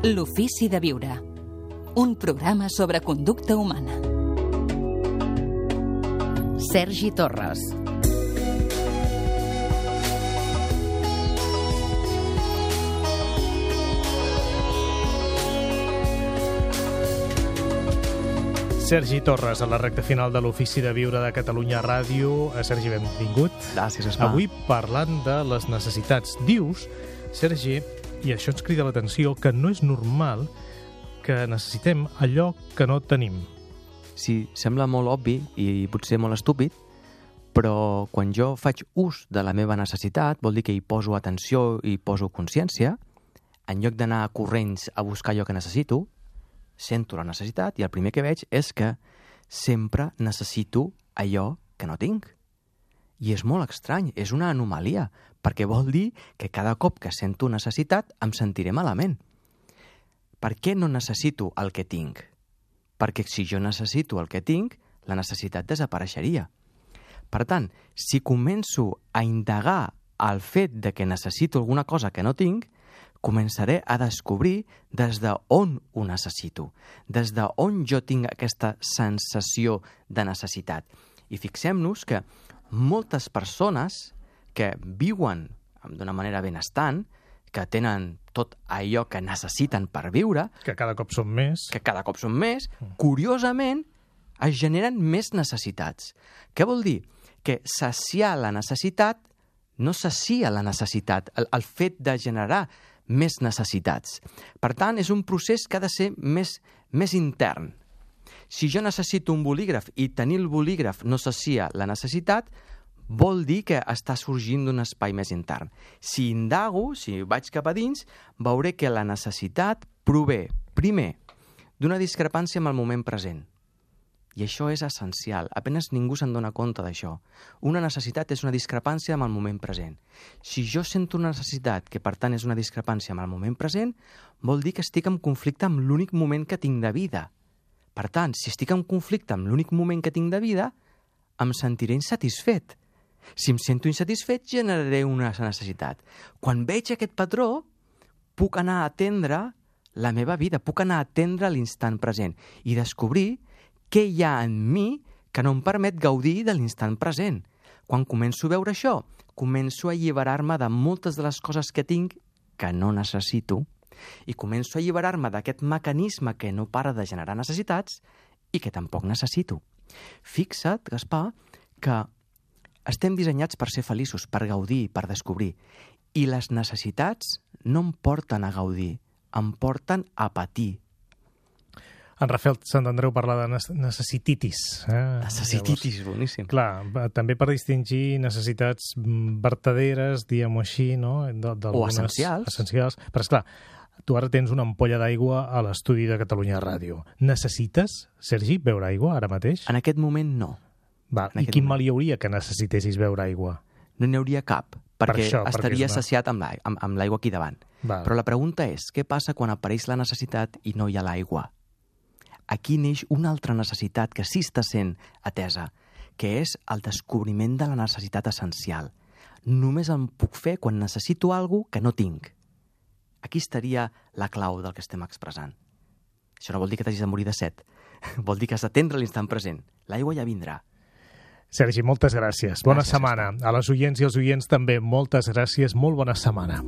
L'ofici de viure. Un programa sobre conducta humana. Sergi Torres. Sergi Torres, a la recta final de l'Ofici de Viure de Catalunya Ràdio. Sergi, benvingut. Gràcies, Esma. Avui parlant de les necessitats. Dius, Sergi, i això ens crida l'atenció, que no és normal que necessitem allò que no tenim. Sí, sembla molt obvi i potser molt estúpid, però quan jo faig ús de la meva necessitat, vol dir que hi poso atenció i poso consciència, en lloc d'anar corrents a buscar allò que necessito, sento la necessitat i el primer que veig és que sempre necessito allò que no tinc. I és molt estrany, és una anomalia, perquè vol dir que cada cop que sento necessitat em sentiré malament. Per què no necessito el que tinc? Perquè si jo necessito el que tinc, la necessitat desapareixeria. Per tant, si començo a indagar el fet de que necessito alguna cosa que no tinc, començaré a descobrir des d'on ho necessito, des d'on jo tinc aquesta sensació de necessitat. I fixem-nos que moltes persones que viuen d'una manera benestant, que tenen tot allò que necessiten per viure, Que cada cop som més. curiosament es generen més necessitats. Què vol dir? Que saciar la necessitat no sacia la necessitat, el fet de generar més necessitats. Per tant, és un procés que ha de ser més intern. Si jo necessito un bolígraf i tenir el bolígraf no sacia la necessitat, vol dir que està sorgint d'un espai més intern. Si indago, si vaig cap a dins, veuré que la necessitat prové, primer, d'una discrepància amb el moment present. I això és essencial. Apenas ningú se'n dona compte d'això. Una necessitat és una discrepància amb el moment present. Si jo sento una necessitat que, per tant, és una discrepància amb el moment present, vol dir que estic en conflicte amb l'únic moment que tinc de vida. Per tant, si estic en conflicte amb l'únic moment que tinc de vida, em sentiré insatisfet. Si em sento insatisfet, generaré una necessitat. Quan veig aquest patró, puc anar a atendre la meva vida, puc anar a atendre l'instant present i descobrir què hi ha en mi que no em permet gaudir de l'instant present. Quan començo a veure això, començo a alliberar-me de moltes de les coses que tinc que no necessito i començo a alliberar-me d'aquest mecanisme que no para de generar necessitats i que tampoc necessito. Fixa't, Gaspar, que estem dissenyats per ser feliços, per gaudir, per descobrir. I les necessitats no em porten a gaudir, em porten a patir. En Rafael Sant Andreu parla de necessititis. Necessititis, boníssim. Clar, també per distingir necessitats vertaderes, diguem-ho així, no? O essencials. Essencials. Però, esclar, tu ara tens una ampolla d'aigua a l'estudi de Catalunya Ràdio. Necessites, Sergi, beure aigua ara mateix? En aquest moment no. I quin mal hi hauria que necessitessis beure aigua? No n'hi hauria cap, perquè estaria és saciat amb l'aigua aquí davant. Però la pregunta és, què passa quan apareix la necessitat i no hi ha l'aigua? Aquí neix una altra necessitat que sí està sent atesa, que és el descobriment de la necessitat essencial. Només em puc fer quan necessito alguna cosa que no tinc. Aquí estaria la clau del que estem expressant. Això no vol dir que t'hagis de morir de set. Vol dir que has d'atendre l'instant present. L'aigua ja vindrà. Sergi, moltes gràcies. Bona setmana. A les oients i els oients també, moltes gràcies. Molt bona setmana.